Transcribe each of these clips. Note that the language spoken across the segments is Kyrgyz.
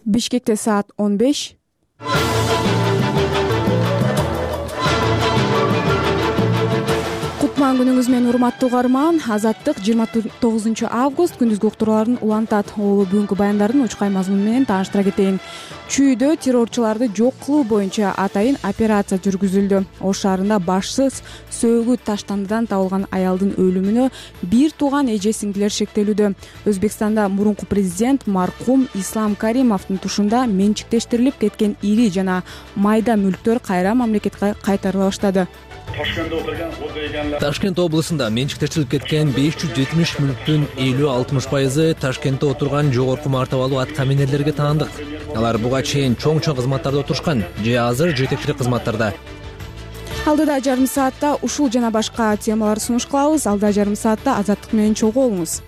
Бишкекте саат 15. Кутман күнүңүз менен урматтуу угарман. Азаттык 29 август күндүзгү уктурууларын улантат. Ол бүгүнкү баяндардын учкай мазмуну менен тааныштыра кетейин. Чүйдө террорчуларды жок кылуу боюнча атайын операция жүргүзүлдү. Ош шаарында башсыз сөөгү таштандыдан табылган аялдын өлүмүнө бир тууган эже сиңдилер шектелүүдө. Өзбекстанда мурунку президент маркум Ислам Каримовдун тушунда менчиктештирилип кеткен ири жана майда мүлктөр кайра мамлекетке кайтарыла баштады. Ташкент облусунда менчиктештирилип кеткен 570 мүлктүн 50-60% Ташкентте отурган жогорку мартабалуу аткаминерлерге таандык. Алар буга чейин чоң кызматтарда отурушкан же азыр жетекчилик кызматтарда. Алдыда жарым саатта ушул жана башка темалар сунуш кылабыз. Алдыда жарым саатта Азаттык менен чогуу болуңуз.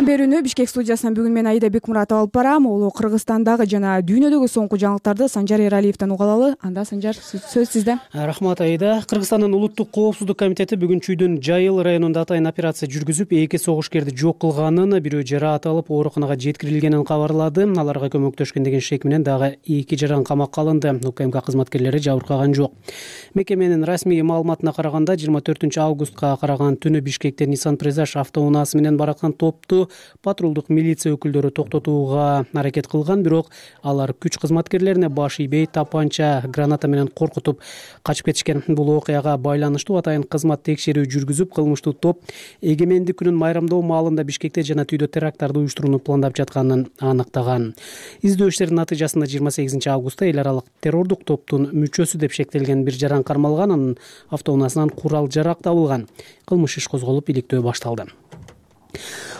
Берүүнү Бишкек студиясынан бүгүн мен Аида Бекмуратова алып барам. Ол Кыргызстандагы жана дүйнөдөгү соңку жаңылыктарды Санжар Эралиевден уга алалы. Анда Санжар, сөз сизде. Рахмат Аида. Кыргызстандын улуттук коопсуздук комитети бүгүн Чүйдүн Жайыл районунда атайын операция жүргүзүп, 2 согушкерди жок кылганын, бирөө жараат алып ооруканага жеткирилгенин кабарлады. Аларга көмөктөшкөн деген шек менен дагы 2 жаран камакка алынды. УКМК кызматкерлери жабыркаган жок. Мекеменин расмий маалыматына караганда 24 августка караган түнү Бишкекте Nissan Presage автоунаасы менен бараткан топту патрулдук милиция өкүлдөрү токтотууга аракет кылган, бирок алар күч кызматкерлерине баш ийбей, тапанча, граната менен коркутуп качып кетишкен. Бул окуяга байланыштуу атайын кызмат текшерүү жүргүзүп, кылмыштуу топ эгемендик күнүн майрамдоо маалында Бишкекте жана Түйдө теракттарды уюштурууну пландап жатканын аныктаган. Издөө иштеринин натыйжасында 28 августта эл аралык террордук топтун мүчөсү деп шектелген бир жаран кармалган, анын автоунаасынан курал жарак табылган. Кылмыш иш козголуп, иликтөө башталды.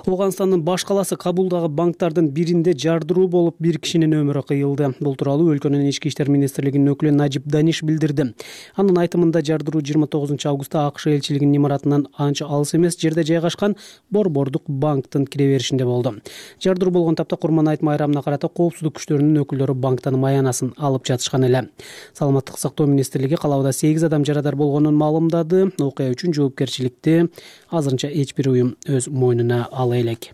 Ооганстандын баш каласы Кабулдагы банктардын биринде жардыруу болуп, бир кишинин өмүрү кыйылды. Бул тууралуу өлкөнүн ички иштер министрлигинин өкүлү Najib Danish билдирди. Анын айтымында жардыруу 29 августта АКШ элчилигинин имаратынан анча алыс эмес жерде жайгашкан Борбордук банктын кире беришинде болду. Жардыруу болгон тапта Курман айт майрамына карата коопсуздук күчтөрүнүн өкүлдөрү банктан маянасын алып жатышкан эле. Саламаттык сактоо министрлиги калаабада 8 адам жарадар болгонун маалымдады. Окуя үчүн жоопкерчиликти азырынча эч бир уюм өз мойнуна ала элек.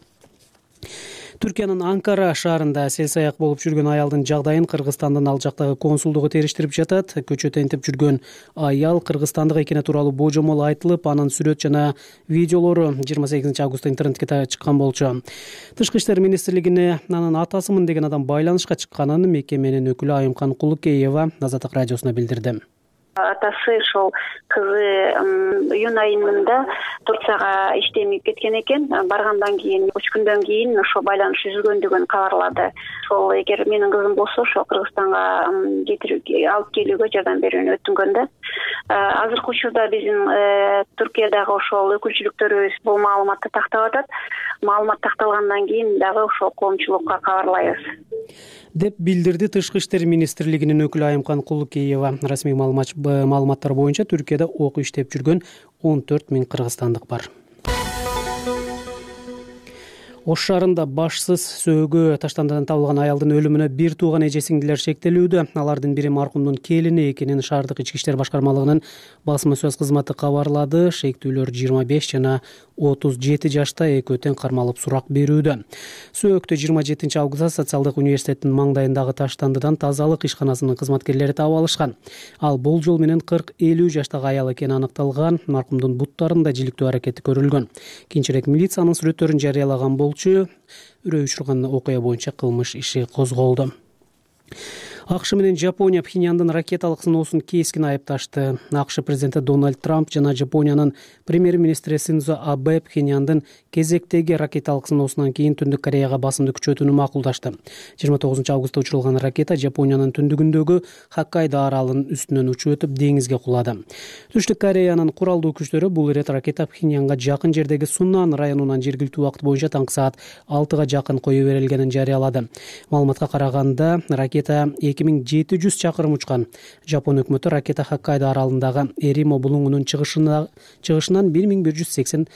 Түркиянын Анкара шаарында сел-саяк болуп жүргөн аялдын жагдайын Кыргызстандын ал жактагы консулдугу териштирип жатат. Көчөтө интип жүргөн аял Кыргызстандык экени тууралуу божомол айтылып, анын сүрөт жана видеолору 28 августта интернетке чыккан болчу. Тышкы иштер министрлигине анын атасымын деген адам байланышка чыкканын мекеменин өкүлү Айымкан Кулукеева Азаттык радиосуна билдирди. Атасы ошол кызы июнь айында Турцияга иштемей кеткен экен. Баргандан кийин 3 күндөн кийин ошо байланыш үзүлгөндүгүн кабарлады. Ошол эгер менин кызым болсо ошо Кыргызстанга алып келүүгө жардам берүүнү өтүнгөн да. Азыркы учурда биздин Түркиядагы ошол өкүлчүлүктөрүбүз бул маалыматты тактап атат. Маалымат такталгандан кийин дагы ошол коомчулукка кабарлайбыз деп билдирди Тышкы иштер министрлигинин өкүлү Айымкан Кулукеева. Расмий маалыматтар боюнча Түркияда ок иштеп жүргөн 14 000 кыргызстандык бар. Ош шаарында башсыз сөөгү таштандыдан табылган аялдын өлүмүнө бир тууган эже сиңдилер шектелүүдө. Алардын бири маркумдун келини экенин шаардык ички иштер башкармалыгынын басма сөз кызматы кабарлады. Шектүүлөр 25 жана 37 жашта экөө тең кармалып сурак берүүдө. Сөөктү 27 августта социалдык университеттин маңдайындагы таштандыдан тазалык ишканасынын кызматкерлери таап алышкан. Ал болжол менен 40-50 жаштагы аял экени аныкталган. Маркумдун буттарында жиликтөө аракети көрүлгөн. Кийинчерээк милициянын сүрөттөрүн жарыялаган болчу. Үрөй учурган окуя боюнча кылмыш иши козголду. АКШ менен Жапония Пхеньяндын ракеталык сыноосун кескин айыпташты. АКШ президенти Дональд Трамп жана Жапониянын премьер-министри Синдзо Абе Пхеньяндын кезектеги ракеталык сыноосунан кийин Түндүк Кореяга басымды күчөтүүнү макулдашты. 29 августта учурулган ракета Жапониянын түндүгүндөгү Хоккайдо аралынын үстүнөн учуп өтүп деңизге кулады. Түштүк Кореянын куралдуу күчтөрү бул ирет ракета Пхеньянга жакын жердеги Суннан районунан жергиликтүү убакыт боюнча таңкы саат 6-га жакын кое берилгенин жарыялады. Маалыматка караганда ракета 2700 чакырым учкан. Жапон өкмөтү ракета Хоккайдо аралындагы Эримо булуңунун чыгышынан 1180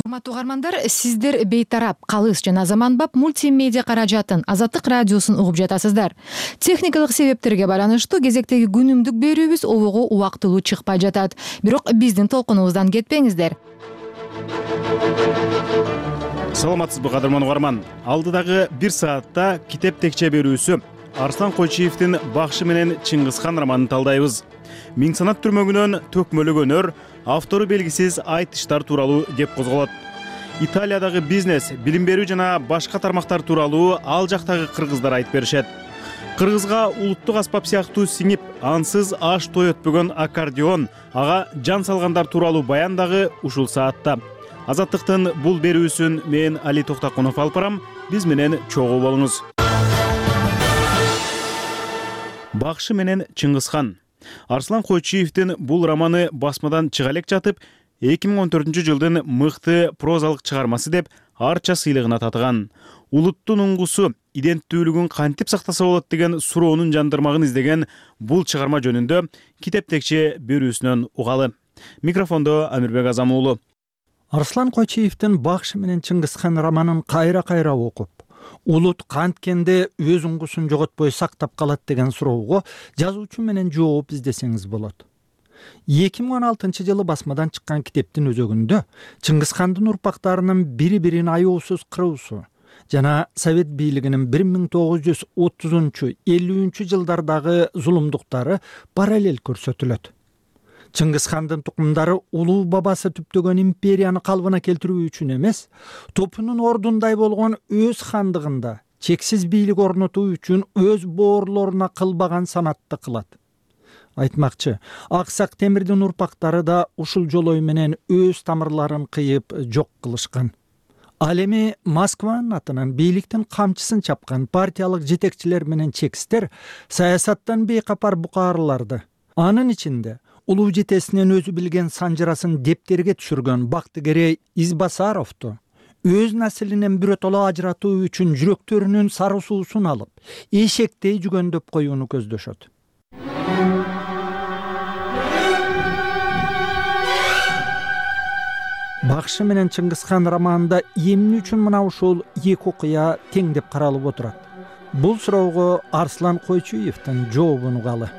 урматтуу угармандар, сиздер бейтарап, калыс жана заманбап мультимедиа каражатын Азаттык радиосун угуп жатасыздар. Техникалык себептерге байланыштуу кезектеги күнүмдүк берүүбүз обого убактылуу чыкпай жатат. Бирок биздин толкунубуздан кетпеңиздер. Саламатсызбы кадырман угарман. Алдыдагы 1 саатта китеп текче берүүсү Арслан Койчиевдин Бакшы менен Чыңгызхан романын талдайбыз. Миң санат түрмөгүнөн төкмөлүк өнөр, автору белгисиз айтыштар тууралуу кеп козголот. Италиядагы бизнес, билим берүү жана башка тармактар тууралуу ал жактагы кыргыздар айтып беришет. Кыргызга улуттук аспап сыяктуу сиңип, ансыз аш той өтпөгөн аккордеон, ага жан салгандар тууралуу баян дагы ушул саатта. Азаттыктын бул берүүсүн мен Али Токтакунов алып барам. Биз менен чогуу болуңуз. Бакшы менен Чыңгызхан. Арслан Койчиевдин бул романы басмадан чыга элек жатып, 2014-жылдын мыкты прозалык чыгармасы деп арча сыйлыгына татыган. Улуттун уңгусу, иденттүүлүгүн кантип сактаса болот деген суроонун жандырмагын издеген бул чыгарма жөнүндө китеп текче берүүсүнөн угалы. Микрофондо Амирбек Азам уулу. Арслан Койчиевдин Бакшы менен Чыңгызхан романын кайра окуп, улут канткенде өз уңгусун жоготпой сактап калат деген суроого жазуучу менен жооп издесеңиз болот. 2016-жылы басмадан чыккан китептин өзөгүндө Чыңгызхандын урпактарынын бири-бирин аяосуз кыруусу жана Совет бийлигинин 1930-50-жылдардагы зулумдуктары параллель көрсөтүлөт. Чыңгызхандын тукумдары улуу бабасы түптөгөн империяны калыбына келтирүү үчүн эмес, топунун ордундай болгон өз хандыгында чексиз бийлик орнотуу үчүн өз боорлоруна кылбаган санатты кылат. Айтмакчы, Аксак Темирдин урпактары да ушул жолой менен өз тамырларын кыйып жок кылышкан. Ал эми Москванын атынан бийликтин камчысын чапкан партиялык жетекчилер менен чекистер саясаттан бейкапар букаарыларды, анын ичинде улуу жетесинен өзү билген санжырасын дептерге түшүргөн Бактыгерей Избасаровду өз наслинен биротоло ажыратуу үчүн жүрөктөрүнүн сары суусун алып, эшектей жүгөндөп коюуну көздөшөт. Бакшы менен Чыңгызхан романында эмне үчүн мына ушул эки окуя тең деп каралып отурат? Бул суроого Арслан Койчиевдин жообун угалы.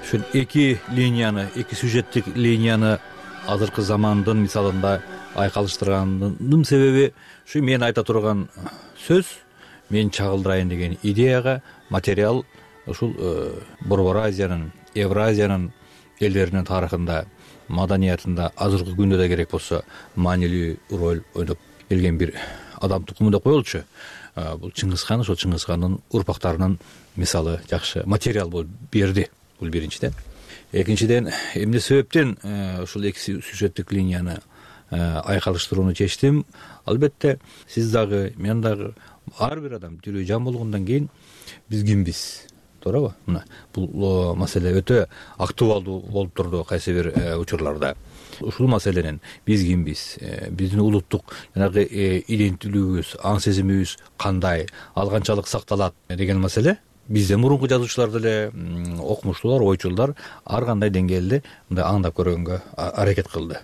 Ушул эки линияны, эки сюжеттик линияны азыркы замандын мисалында айкалыштырганымдын себеби ушу мен айта турган сөз, мен чагылдырайын деген идеяга материал ушул Борбор Азиянын, Евразиянын элдеринин тарыхында, маданиятында азыркы күндө да керек болсо маанилүү роль ойноп келген бир адам тукуму деп коелучу. Бул Чыңгызхан, ошол Чыңгызхандын урпактарынын мисалы жакшы материал болуп берди. Бул биринчиден. Экинчиден, эмне себептен ушул эки сюжеттик линияны айкалыштырууну чечтим? Албетте, сиз дагы, мен дагы ар бир адам тирүү жан болгондон кийин биз кимбиз? Туурабы? Мына бул маселе өтө актуалдуу болуп турду кайсы бир учурларда. Ушул маселенин биз кимбиз? Биздин улуттук жанагы иденттүүлүгүбүз, аң сезимибиз кандай, ал канчалык сакталат деген маселе бизден мурунку жазуучулар деле, окумуштуулар, ойчулдар ар кандай деңгээлде мындай аңдап көргөнгө аракет кылды.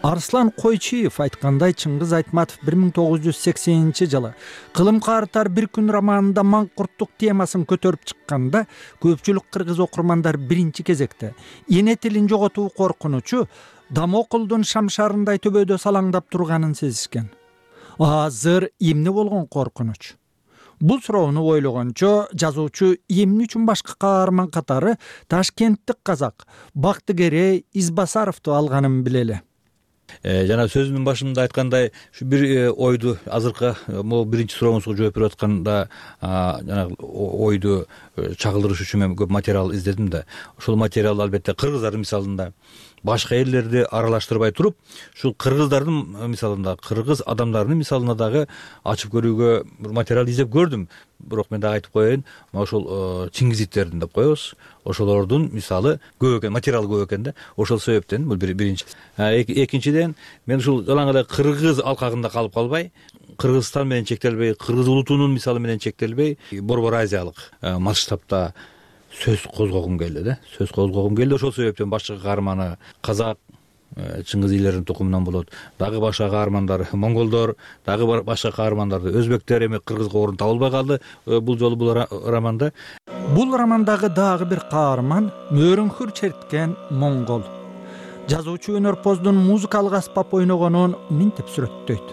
Арслан Койчиев айткандай, Чыңгыз Айтматов 1980-жылы Кылым картар бир күн романында маңкурттук темасын көтөрүп чыкканда, көпчүлүк кыргыз окурмандар биринчи кезекте эне тилин жоготуу коркунучу Дамокулдун шамшарындай төбөдө салаңдап турганын сезишкен. Азыр эмне болгон коркунуч? Бул суроону ойлогончо жазуучу эмне үчүн башка каарман катары Ташкенттик казак Бактыгерей Избасаровду алганын билели. Жана сөзүмдүн башында айткандай, ушу бир ойду азыркы могу биринчи сурооңузга жооп берип атканда жана ойду чагылдырыш үчүн мен көп материал издедим да. Ошол материал албетте кыргыздардын мисалында башка элдерди аралаштырбай туруп, ушул кыргыздардын мисалында, кыргыз адамдарынын мисалына дагы ачып көрүүгө бир материал издеп көрдүм. Бирок мен дагы айтып коеюн, ошол Чингизиттердин деп коебуз. Ошолордун мисалы көп экен, материал көп экен да. Ошол себептен бул биринчи. Экинчиден, мен ушул жалаң эле кыргыз алкагында калып калбай, Кыргызстан менен чектелбей, кыргыз улутунун мисалы менен чектелбей, Борбор Азиялык масштабта сөз козгогум келди ошол себептен башкы каарманы казак, Чыңгыз ийлердин тукумунан болот, дагы башка каармандар монголдор, дагы башка каармандарды өзбектер, эми кыргызга орун табылбай калды бул жолу бул романда. Бул романдагы дагы бир каарман мөөрөңкүр черткен монгол. Жазуучу өнөрпоздун музыкалык аспап ойногонун минтип сүрөттөйт.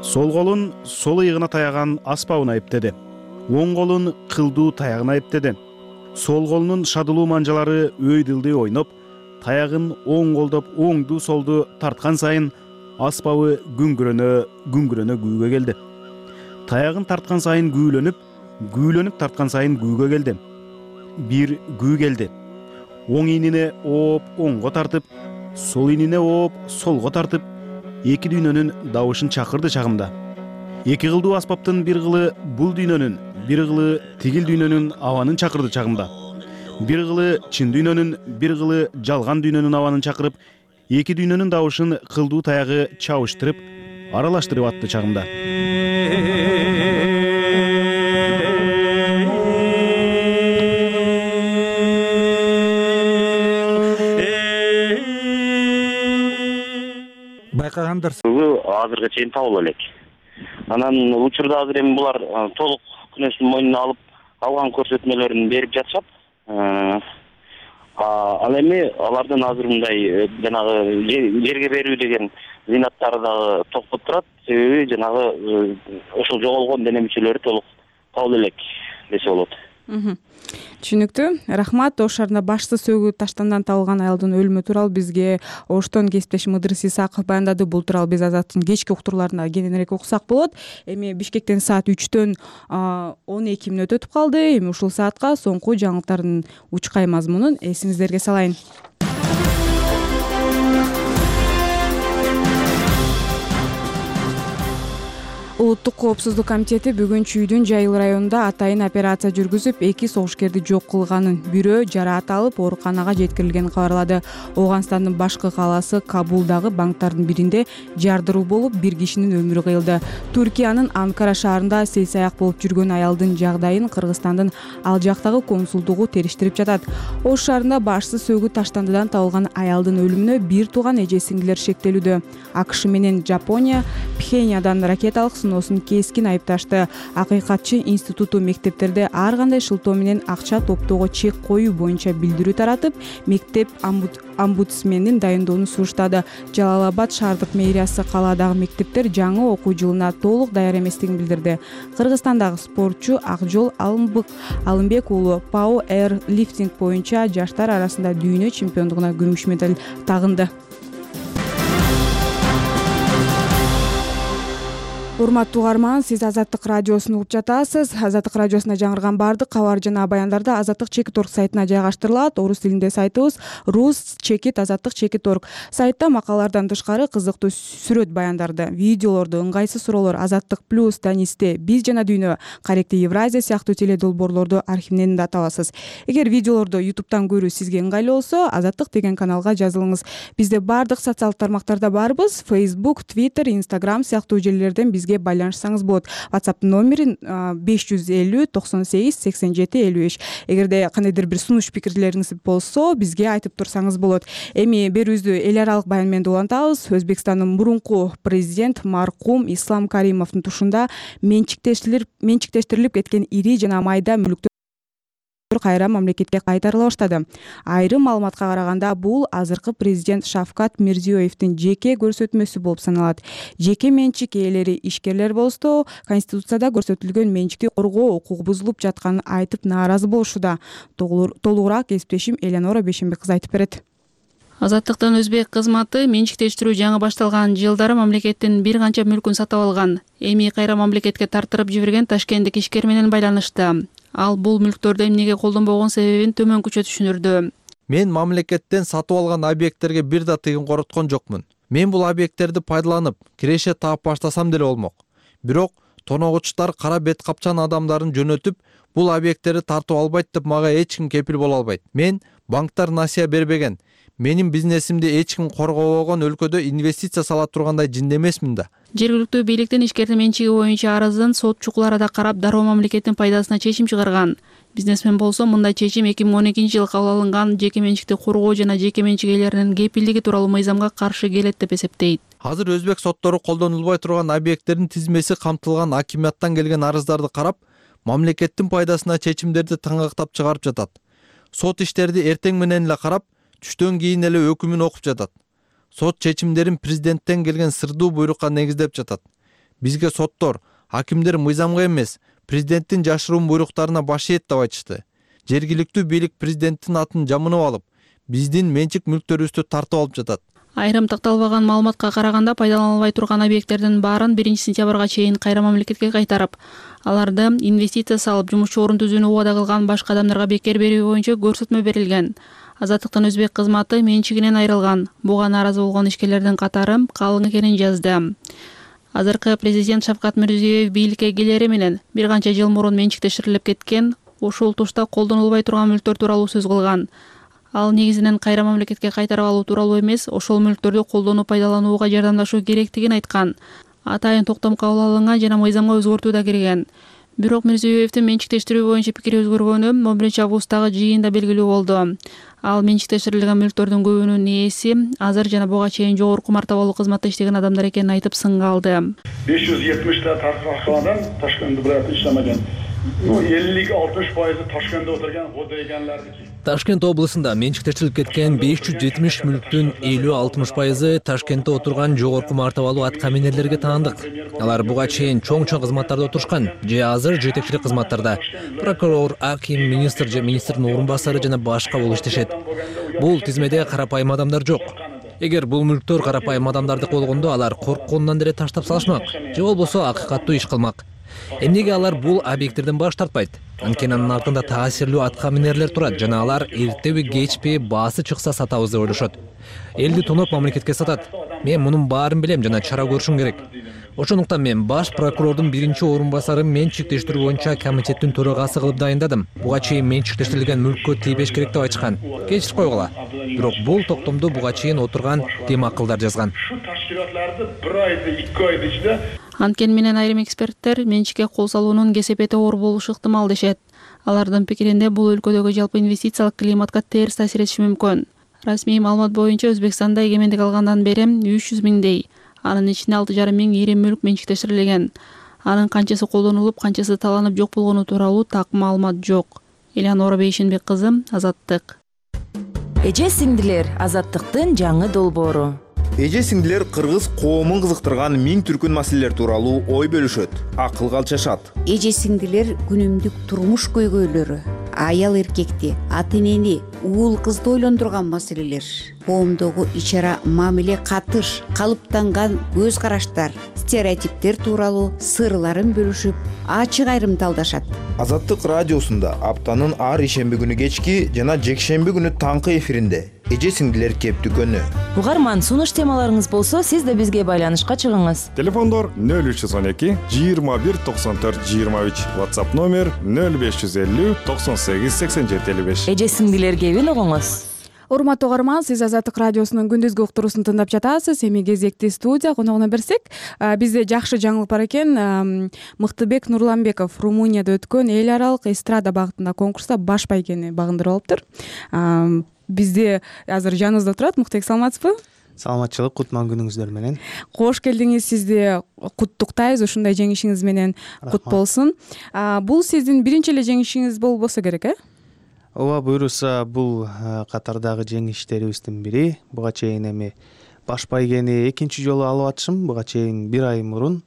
Сол колун сол ыйыгына таяган аспабын айыптеди. Оң колун кылдуу таягын айыптеди. Сол колунун шадылуу манжалары өйдүлдүй ойноп, таягын оң колдоп оңду солду тарткан сайын аспабы күңгүрөнө күүгө келди. Таягын тарткан сайын күүлөнүп тарткан сайын күүгө келди. Бир күү келди. Оң ийнине ооп оңго тартып, сол ийнине ооп солго тартып, эки дүйнөнүн дабышын чакырды чагымда. Эки кылдуу аспаптын бир кылы бул дүйнөнүн, бир кылы тигил дүйнөнүн абанын чакырды чагымда. Бир кылы чын дүйнөнүн, бир кылы жалган дүйнөнүн абанын чакырып, эки дүйнөнүн дабышын кылдуу таягы чабыштырып, аралаштырып атты чагымда. Байкагандырсыз. Азыркы чейин табыла элек. Анан учурда азыр эми булар толук күнөөсүн мойнуна алып, алган көрсөтмөлөрүн берип жатышат. Ал эми алардын азыр мындай жанагы жерге берүү деген зыйнаттары дагы токтоп турат. Себеби жанагы ошол жоголгон дене мүчөлөрү толук табыла элек десе болот. Түшүнүктүү. Рахмат. Ош шаарында башсыз сөгүү таштандан табылган аялдын өлүмү тууралуу бизге Оштон кесиптешим Ыдырыс Исаков баяндады. Бул тууралуу биз Азаттын кечки уктурууларында кененирээк уксак болот. Эми Бишкектен саат 3-төн 12 мүнөт өтүп калды. Эми ушул саатка соңку жаңылыктардын учкай мазмунун эсиңиздерге салайын. Улуттук коопсуздук комитети бүгүн Чүйдүн Жайыл районунда атайын операция жүргүзүп, 2 согушкерди жок кылганын, бирөө жараат алып ооруканага жеткирилгенин кабарлады. Ооганстандын башкы калаасы Кабулдагы банктардын биринде жардыруу болуп, 1 кишинин өмүрү кыйылды. Туркиянын Анкара шаарында сейсаяк болуп жүргөн аялдын жагдайын Кыргызстандын ал жактагы консулдугу териштирип жатат. Ош шаарында башсыз сөгүү таштандыдан табылган аялдын өлүмүнө бир тууган эже сиңдилер шектелүүдө. АКШ менен Жапония Пхеньяндан ракеталык сыноосун кескин айыпташты. Акыйкатчы институту мектептерде ар кандай шылтоо менен акча топтоого чек коюу боюнча билдирүү таратып, мектеп омбудсменин дайындоону суруштады. Жалал-Абад шаардык мэриясы калаадагы мектептер жаңы окуу жылына толук даяр эместигин билдирди. Кыргызстандагы спортчу Акжол Алымбек уулу ПАО Air Lifting боюнча жаштар арасында дүйнө чемпиондугуна күмүш медаль тагынды. Урматтуу угарман, сиз Азаттык радиосун угуп жатасыз. Азаттык радиосунда жаңырган бардык кабар жана баяндарды Азаттык Чекит.орг сайтына жайгаштырылат. Орус тилинде сайтыбыз Rus Чекит Азаттык Чекит.орg. Сайтта макалалардан тышкары кызыктуу сүрөт баяндарды, видеолорду, ыңгайсыз суроолор, Азаттык плюс, Танисте, Биз жана дүйнө, Каректи Евразия сыяктуу теледолбоорлорду архивинен да табасыз. Эгер видеолорду YouTube'дан көрүү сизге ыңгайлуу болсо, Азаттык деген каналга жазылыңыз. Бизде бардык социалдык тармактарда барбыз. Facebook, Twitter, Instagram сыяктуу желилерден бизге байланышсаңыз болот. WhatsApp номери 550 98 87 55. Эгерде кандайдыр бир сунуш пикирлериңиз болсо, бизге айтып турсаңыз болот. Эми берүүбүздү эл аралык баян менен улантабыз. Өзбекстандын мурунку президент маркум Ислам Каримовдун тушунда менчиктештирилип кеткен ири жана майда мүлктөр кайра мамлекетке кайтарыла баштады. Айрым маалыматка караганда, бул азыркы президент Шавкат Мирзиёевдин жеке көрсөтмөсү болуп саналат. Жеке менчик ээлери ишкерлер болсо, Конституцияда көрсөтүлгөн менчикти коргоо укугу бузулуп жатканын айтып нааразы болушууда. Толугураак кесиптешим Элеонора Бейшенбек кызы айтып берет. Азаттыктын өзбек кызматы менчиктештирүү жаңы башталган жылдары мамлекеттин бир канча мүлкүн сатып алган. Эми кайра мамлекетке тартырып жиберген ташкенттик ишкер менен байланышты. Ал бул мүлктөрдү эмнеге колдонбогон себебин төмөнкүчө түшүнүрдү. Мен мамлекеттен сатып алган объекттерге бир да тыйын короткон жокмун. Мен бул объекттерди пайдаланып, киреше таап баштасам деле болмок. Бирок тоногучтар кара бет капчан адамдарын жөнөтүп, бул объекттерди тартып албайт деп мага эч ким кепил боло албайт. Мен банктар насыя бербеген. Менин бизнесимди эч ким коргобогон өлкөдө инвестиция сала тургандай жинде эмесмин да. Жергиликтүү бийликтин ишкердин менчиги боюнча арызын сот чукул арада карап, дароо мамлекеттин пайдасына чечим чыгарган. Бизнесмен болсо мындай чечим 2012-жылы кабыл алынган жеке менчикти коргоо жана жеке менчик ээлеринин кепилдиги тууралуу мыйзамга каршы келет деп эсептейт. Азыр өзбек соттору колдонулбай турган объекттердин тизмеси камтылган акимияттан келген арыздарды карап, мамлекеттин пайдасына чечимдерди таңгактап чыгарып жатат. Сот иштерди эртең менен эле карап, түштөн кийин эле өкүмүн окуп жатат. Сот чечимдерин президенттен келген сырдуу буйрукка негиздеп жатат. Бизге соттор, акимдер мыйзамга эмес, президенттин жашыруун буйруктарына баш ийет деп айтышты. Жергиликтүү бийлик президенттин атын жамынып алып, биздин менчик мүлктөрүбүздү тартып алып жатат. Айрым такталбаган маалыматка караганда пайдаланылбай турган объекттердин баарын 1-сентябрга чейин кайра мамлекетке кайтарып, аларды инвестиция салып, жумушчу орун түзүүнү убада кылган башка адамдарга бекер берүү боюнча көрсөтмө берилген. Азаттыктын өзбек кызматы менчигинен айрылган. Буга нааразы болгон ишкерлердин катары калың экенин жазды. Азыркы президент Шавкат Мирзиёев бийликке келери менен бир канча жыл мурун менчиктештирилип кеткен ушул тушта колдонулбай турган мүлктөр тууралуу сөз кылган. Ал негизинен кайра мамлекетке кайтарып алуу тууралуу эмес, ошол мүлктөрдү колдонуп пайдаланууга жардамдашуу керектигин айткан. Атайын токтом кабыл алынган жана мыйзамга өзгөртүү да кирген. Бирок Мирзиёевдин менчиктештирүү боюнча пикири өзгөргөнү 11-августтагы жыйында белгилүү болду. Ал менчиктештирилген мүлктөрдүн көбүнүн ээси азыр жана буга чейин жогорку мартабалуу кызматта иштеген адамдар экенин айтып сынга алды. 570 тартылган Ташкентте бирок иштемеген. 50-60% Ташкентте отурган кодейганлардыки. Ташкент облусунда менчиктештирилип кеткен 570 мүлктүн 50-60% Ташкентте отурган жогорку мартабалуу аткаминерлерге таандык. Алар буга чейин чоң кызматтарда отурушкан же азыр жетекчилик кызматтарда. Прокурор, аким, министр же министрдин орун басары жана башка болуп иштешет. Бул тизмеде карапайым адамдар жок. Эгер бул мүлктөр карапайым адамдардыкы болгондо алар коркконунан деле таштап салышмак же болбосо акыйкаттуу иш кылмак. Эмнеге алар бул объекттерден баш тартпайт? Анткени анын артында таасирлүү аткаминерлер турат жана алар эртеби кечпи баасы чыкса сатабыз деп ойлошот. Элди тоноп мамлекетке сатат. Мен мунун баарын билем жана чара көрүшүм керек. Ошондуктан мен баш прокурордун биринчи орун басары менчиктештирүү боюнча комитеттин төрагасы кылып дайындадым. Буга чейин менчиктештирилген мүлккө тийбеш керек деп айтышкан. Кечирип койгула. Бирок бул токтомду буга чейин отурган тем акылдар жазган. Анткени менен айрым эксперттер менчикке кол салуунун кесепети оор болушу ыктымал дешет. Алардын пикиринде бул өлкөдөгү жалпы инвестициялык климатка терс таасир этиши мүмкүн. Расмий маалымат боюнча Өзбекстанда эгемендик алгандан бери 300 миңдей, анын ичинде 6,5 миң ири мүлк менчиктештирилген. Анын канчасы колдонулуп, канчасы таланып жок болгону тууралуу так маалымат жок. Элеонора Бейшенбек кызы, Азаттык. Эже сиңдилер, Азаттыктын жаңы долбоору. Эже сиңдилер кыргыз коомун кызыктырган миң түркүн маселелер тууралуу ой бөлүшөт, акылга алчашат. Эже сиңдилер күнүмдүк турмуш көйгөйлөрү, аял эркекти, ата энени, уул кызды ойлондурган маселелер, коомдогу ичара мамиле катыш, калыптанган көз караштар, стереотиптер тууралуу сырларын бөлүшүп, ачык айрымталдашат. Азаттык радиосунда аптанын ар ишемби күнү кечки жана жекшемби күнү таңкы эфиринде эже сиңдилер кептүкөнү. Угарман, сунуш темаларыңыз болсо, сиз да бизге байланышка чыгыңыз. Телефондор 0312 21 94 23, WhatsApp номер 0550 98 87 55. Эже сиңдилер кебин угуңуз. Урматтуу угарман, сиз Азаттык радиосунун күндүзгү уктуруусун тыңдап жатасыз. Эми кезекти студия коногуна берсек, бизде жакшы жаңылык бар экен. Мыктыбек Нурланбеков Румынияда өткөн эл аралык эстрада багытында конкурста баш байгени багындырып алыптыр. Бизде азыр жаныбызда турат. Мыктыбек, саламатсызбы? Саламатчылык, кутман күнүңүздөр менен. Кош келдиңиз, сизди куттуктайбыз ушундай жеңишиңиз менен. Кут болсун. Бул сиздин биринчи эле жеңишиңиз болбосо керек, Ооба, буйруса, бул катардагы жеңиштерибиздин бири. Буга чейин эми баш байгени экинчи жолу алып атышым. Буга чейин бир ай мурун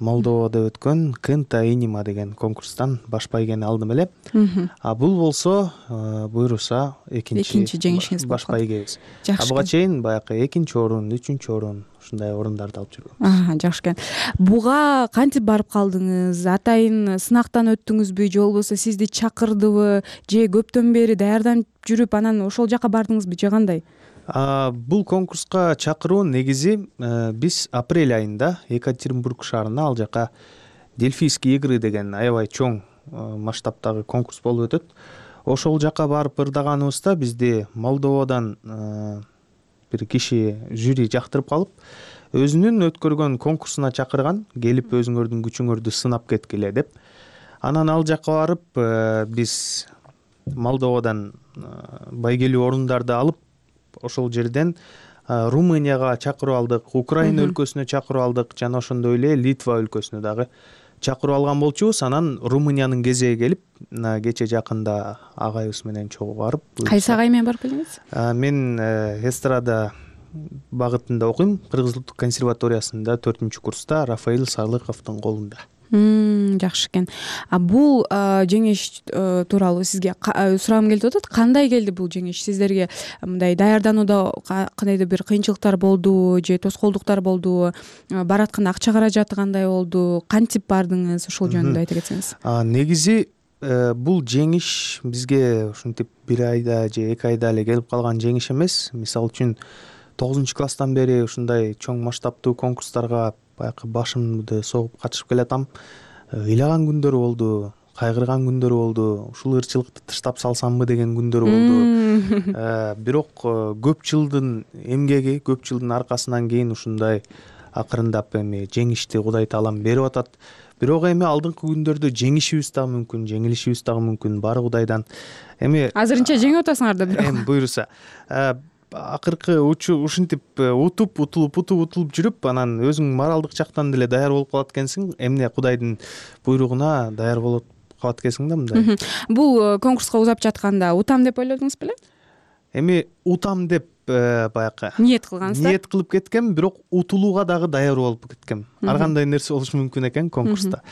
Молдовада өткөн Кента Инима деген конкурстан баш байгени алдым эле. Бул болсо буйруса экинчи жеңишиңиз баш байгебиз. Буга чейин баягы экинчи орун, үчүнчү орун ушундай орундарды алып жүргөм. Жакшы экен. Буга кантип барып калдыңыз? Атайын сынактан өттүңүзбү же болбосо сизди чакырдыбы, же көптөн бери даярданып жүрүп анан ошол жака бардыңызбы, же кандай? Бул конкурска чакыруу негизи биз апрель айында Екатеринбург шаарында, ал жака Дельфийские игры деген аябай чоң масштабтагы конкурс болуп өтөт. Ошол жака барып ырдаганыбызда бизди Молдовадан бир киши жюри жактырып калып, өзүнүн өткөргөн конкурсуна чакырган, келип өзүңөрдүн күчүңөрдү сынап кеткиле деп. Анан ал жакка барып биз Молдовадан байгелүү орундарды алып ошол жерден Румынияга чакырып алдык, Украина өлкөсүнө чакырып алдык, жана ошондой эле Литва өлкөсүнө дагы чакырып алган болчубуз. Анан Румыниянын кезеги келип, кече жакында агайыбыз менен чогуу барып. Кайсы агай менен барып келдиңиз? Мен эстрада багытында окуйм, Кыргыз Улуттук консерваториясында 4-курста Рафаил Сарлыковдун колунда. Жакшы экен. Бул жеңиш тууралуу сизге сурагым келип атат. Кандай келди бул жеңиш? Сиздерге мындай даярданууда кандайдыр бир кыйынчылыктар болдубу же тоскоолдуктар болдубу? Баратканда акча каражаты кандай болду? Кантип бардыңыз? Ошол жөнүндө айта кетсеңиз. Негизи бул жеңиш бизге ушинтип 1 айда же 2 айда эле келип калган жеңиш эмес. Мисалы үчүн 9-класстан бери ушундай чоң масштабтуу конкурстарга баягы башымды согуп катышып келатам. Ыйлаган күндөр болду, кайгырган күндөр болду, ушул ырчылыкты таштап салсамбы деген күндөр болду. Бирок көп жылдын эмгеги, көп жылдын аркасынан кийин ушундай акырындап эми жеңишти Кудай Таалам берип атат. Бирок эми алдыңкы күндөрдө жеңишибиз дагы мүмкүн, жеңилишибиз дагы мүмкүн, баары Кудайдан. Эми азырынча жеңип атасыңар да бирок. Эми буйруса. Акыркы ушинтип утулуп жүрүп, анан өзүң моралдык жактан деле даяр болуп калат экенсиң, эмне Кудайдын буйругуна даяр болуп калат экенсиң да мындай. Бул конкурска узап жатканда утам деп ойлодуңуз беле? Эми утам деп баягы ниет кылгансыздар. Ниет кылып кеткем, бирок утулууга дагы даяр болуп кеткем. Ар кандай нерсе болушу мүмкүн экен конкурста.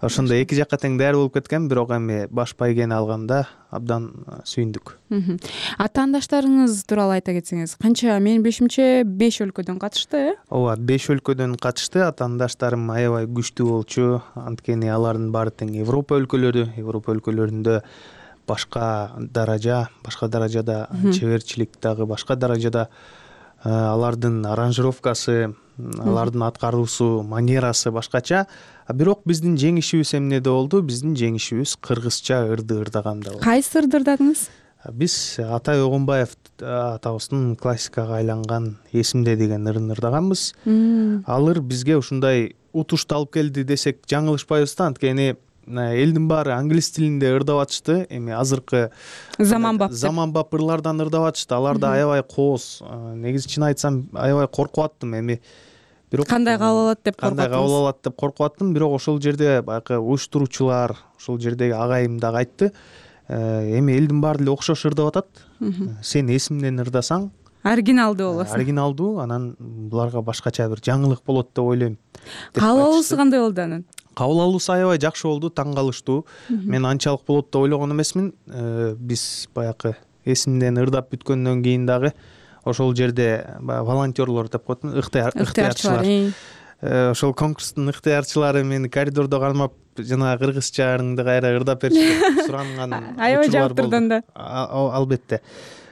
Ошондой эки жакка тең даяр болуп кеткем, бирок эми баш байгени алганда абдан сүйүндүк. Атаандаштарыңыз тууралуу айта кетсеңиз, канча? Менин билишимче 5 өлкөдөн катышты, Ооба, 5 өлкөдөн катышты. Атаандаштарым аябай күчтүү болчу. Анткени алардын баары тең Европа өлкөлөрүндө башка даражада чеберчилик дагы башка даражада, алардын аранжировкасы, алардын аткаруусу, манерасы башкача. Бирок биздин жеңишибиз эмнеде болду? Биздин жеңишибиз кыргызча ырды ырдаганда болду. Кайсы ырды ырдадыңыз? Биз Атай Огонбаев атабыздын классикага айланган «Эсимде» деген ырын ырдаганбыз. Ал ыр бизге ушундай утушту алып келди десек жаңылышпайбыз да, анткени элдин баары англис тилинде ырдап атышты. Эми азыркы заманбап ырлардан ырдап атышты. Аларда аябай кооз. Негизи чын айтсам аябай коркуп аттым. Эми бирок кандай кабыл алат деп коркуп аттым. Бирок ошол жерде баягы уюштуруучулар, ошол жердеги агайым дагы айтты. Эми элдин баары деле окшош ырдап атат. Сен эсимден ырдасаң оригиналдуу болосуң. Оригиналдуу, анан буларга башкача бир жаңылык болот деп ойлойм. Кабыл алуусу кандай болду анан? Кабыл алуусу аябай жакшы болду, таң калыштуу. Мен анчалык болот деп ойлогон эмесмин. Биз баягы эсимден ырдап бүткөндөн кийин дагы ошол жерде волонтерлор деп коет, ыктыярчылар. Ошол конкурстун ыктыярчылары мени коридордо кармап, жана кыргызча ырыңды кайра ырдап берчи суранган аябай жактырдың да. Албетте.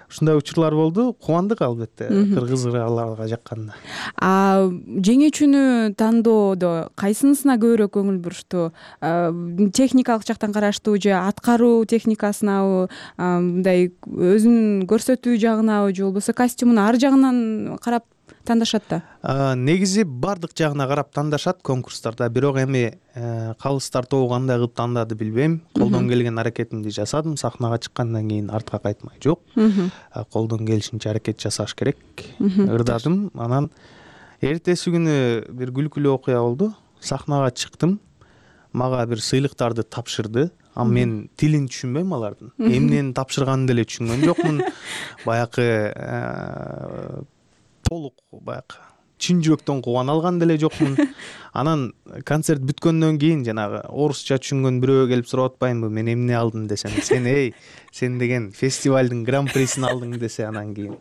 Ушундай учурлар болду. Кубандык албетте, кыргыз ырларга жакканда. Жеңүүчүнү тандоодо кайсынысына көбүрөөк көңүл бурушту? Техникалык жактан караштуу же аткаруу техникасынабы, мындай өзүн көрсөтүү жагынабы же болбосо костюмун ар жагынан карап тандашат да? Негизи бардык жагына карап тандашат конкурстарда, бирок эми калыстар тобу кандай кылып тандады билбейм. Колдон келген аракетимди жасадым. Сахнага чыккандан кийин артка кайтмай жок. Колдон келишинче аракет жасаш керек. Ырдадым. Анан эртеси күнү бир күлкүлүү окуя болду. Сахнага чыктым. Мага бир сыйлыктарды тапшырды. Мен тилин түшүнбөйм алардын. Эмнени тапшырганын деле түшүнгөн жокмун. Баягы толук баягы чын жүрөктөн кубана алган деле жокмун. Анан концерт бүткөндөн кийин жанагы орусча түшүнгөн бирөө келип сурап атпаймынбы, мен эмне алдым десем, сен деген фестивалдын гран-присин алдың десе, анан кийин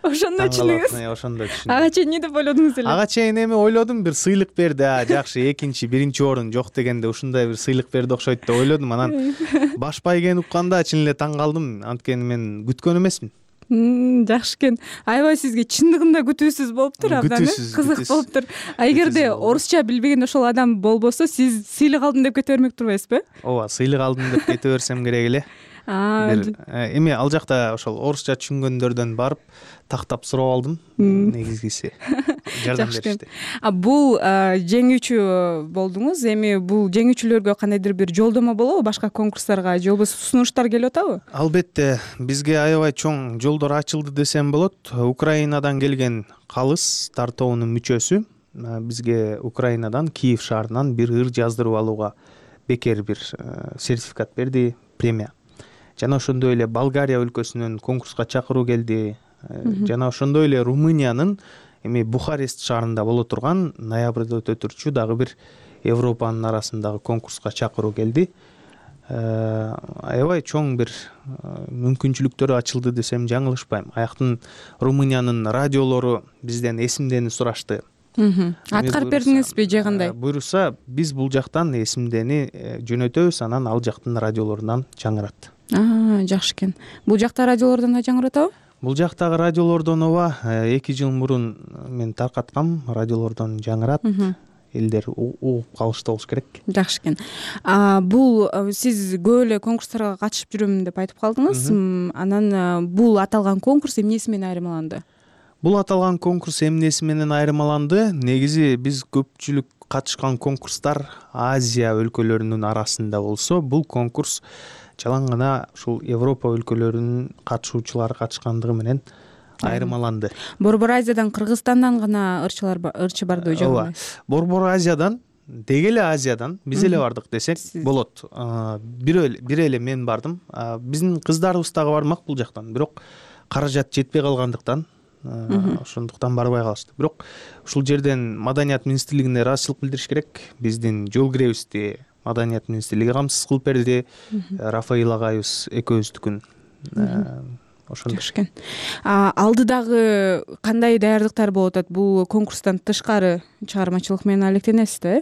ошондо түшүндүңүз? Ошондо түшүндүм. Ага чейин эмне деп ойлодуңуз эле? Ага чейин эми ойлодум, бир сыйлык берди. Жакшы, экинчи, биринчи орун жок дегенде ушундай бир сыйлык берди окшойт деп ойлодум. Анан баш байгени укканда чын эле таң калдым, анткени мен күткөн эмесмин. Жакшы экен. Аябай сизге чындыгында күтүүсүз болуптур, абдан кызык болуптур. Эгерде орусча билбеген ошол адам болбосо, сиз сыйлык алдым деп кете бермек турбайсызбы? Ооба, сыйлык алдым деп кете берсем керек эле. Эми ал жакта ошол орусча түшүнгөндөрдөн барып тактап сурап алдым негизгиси. жардам беришти. Бул жеңүүчү болдуңуз. Эми бул жеңүүчүлөргө кандайдыр бир жолдомо болобу башка конкурстарга же болбосо сунуштар келип атабы? Албетте, бизге аябай чоң жолдор ачылды десем болот. Украинадан келген калыс тартоонун мүчөсү бизге Украинадан, Киев шаарынан бир ыр жаздырып алууга бекер бир сертификат берди, премия. Жана ошондой эле Болгария өлкөсүнөн конкурска чакыруу келди. Жана ошондой эле Румыниянын эми Бухарест шаарында боло турган ноябрда өтө турчу дагы бир Европанын арасындагы конкурска чакыруу келди. Аябай чоң бир мүмкүнчүлүктөр ачылды десем жаңылышпайм. Аяктын Румыниянын радиолору бизден эсимдени сурашты. Аткарып бердиңизби же кандай? Буйруса, биз бул жактан эсимдени жөнөтөбүз, анан ал жактын радиолорунан жаңырат. Жакшы экен. Бул жакта радиолордон да жаңыратабы? Бул жактагы радиолордон ооба, 2 жыл мурун мен таркаткам, радиолордон жаңырат. Элдер угуп калышты болуш керек. Жакшы экен. Бул сиз көп эле конкурстарга катышып жүрөм деп айтып калдыңыз. Анан бул аталган конкурс эмнеси менен айырмаланды? Бул аталган конкурс эмнеси менен айырмаланды? Негизи биз көпчүлүк катышкан конкурстар Азия өлкөлөрүнүн арасында болсо, бул конкурс жалаң гана ушул Европа өлкөлөрүнүн катышуучулары катышкандыгы менен айырмаланды. Борбор Азиядан, Кыргызстандан гана ырчы барды же? Ооба. Борбор Азиядан, деги эле Азиядан биз эле бардык десек болот. Бир эле мен бардым. Биздин кыздарыбыз дагы бармак бул жактан, бирок каражат жетпей калгандыктан ошондуктан барбай калышты. Бирок ушул жерден Маданият министрлигине ыраазычылык билдириш керек. Биздин жол киребизди Маданият министрлиги камсыз кылып берди. Рафаил агайыбыз экөөбүздүкүн. Ошондой. Алдыдагы кандай даярдыктар болуп атат? Бул конкурстан тышкары чыгармачылык менен алектенесиз да,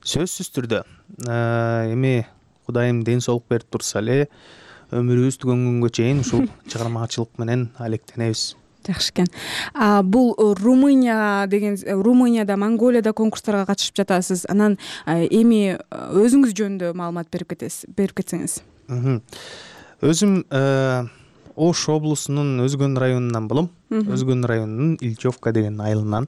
Сөзсүз түрдө. Эми Кудайым ден соолук берип турса эле, өмүрүбүз түгөнгөнгө чейин ушул чыгармачылык менен алектенебиз. Жакшы экен. Бул Румынияда, Монголияда конкурстарга катышып жатасыз. Анан эми өзүңүз жөнүндө маалымат берип кетсеңиз. Өзүм Ош облусунун Өзгөн районунан болом. Өзгөн районунун Ильчевка деген айылынан.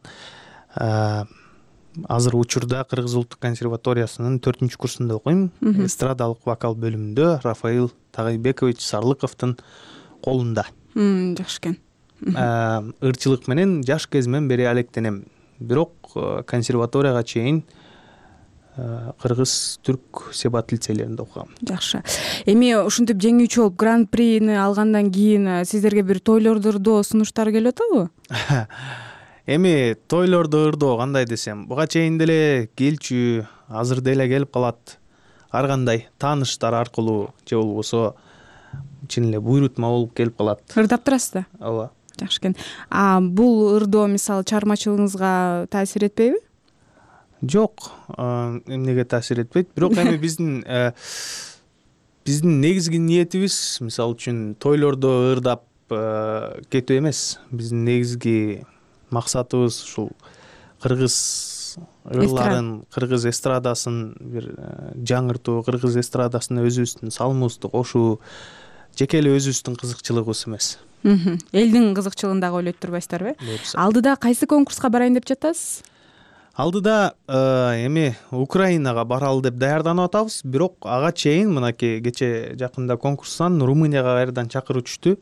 Азыр учурда Кыргыз улуттук консерваториясынын 4-курсунда окуйм. Эстрадалык вокал бөлүмүндө Рафаил Тагайбекович Сарлыковдун колунда. Жакшы экен. Ырчылык менен жаш кезимден бери алектенем. Бирок консерваторияга чейин кыргыз, түрк себат лицейлеринде окугам. Жакшы. Эми ушинтип жеңүүчү болуп гран-прини алгандан кийин сиздерге бир тойлордо сунуштар келип атабы? Эми тойлордо ырдоо кандай десем, буга чейин деле келчү, азыр деле келип калат. Ар кандай тааныштар аркылуу же болбосо чын эле буйрутма болуп келип калат. Ырдап турасыз да? Ооба. Жакшы экен. Бул ырдоо мисалы чыгармачылыгыңызга таасир этпейби? Жок, эмнеге таасир этпейт. Бирок эми биздин негизги ниетибиз, мисалы үчүн тойлордо ырдап кетүү эмес. Биздин негизги максатыбыз ушул кыргыз ырларын, кыргыз эстрадасын бир жаңыртуу, кыргыз эстрадасын өзүбүздүн салымыбызды кошуу, жеке эле өзүбүздүн кызыкчылыгыбыз эмес. Элдин кызыкчылыгын дагы ойлойт турбайсыздарбы? Алдыда кайсы конкурска барайын деп жатасыз? Алдыда эми Украинага баралы деп даярданып атабыз, бирок ага чейин мынакей кече жакында конкурстан Румынияга кайрадан чакыруу түштү.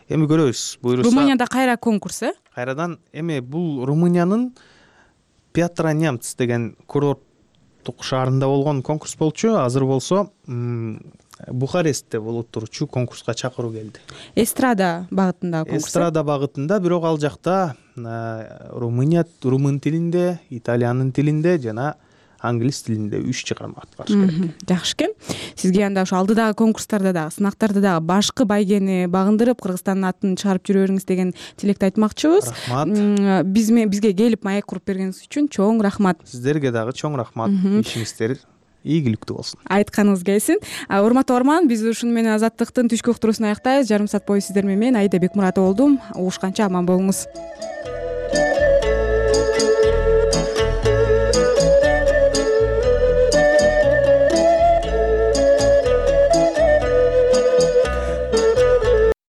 Эми көрөбүз. Буйруса Румынияда кайра конкурс, Кайрадан эми бул Румыниянын Пятра Немц деген курорттук шаарында болгон конкурс болчу. Азыр болсо Бухарестте болуп турчу конкурска чакыруу келди. Эстрада багытындагы конкурс. Эстрада багытында, бирок ал жакта румын тилинде, италиянын тилинде жана англис тилинде 3 чыгарма аткарыш керек. Жакшы экен. Сизге анда ошо алдыдагы конкурстарда дагы, сынактарда дагы башкы байгени багындырып, Кыргызстандын атын чыгарып жүрө бериңиз деген тилекти айтмакчыбыз. Рахмат. Бизге келип маек куруп бергениңиз үчүн чоң рахмат. Сиздерге дагы чоң рахмат. Ишиңиздер ийгиликтүү болсун. Айтканыңыз келсин. Урматтуу угарман, биз ушуну менен Азаттыктын түшкү уктуруусун аяктайбыз. Жарым саат бою сиздер менен Аида Бекмуратова болдум. Угушканча аман болуңуз.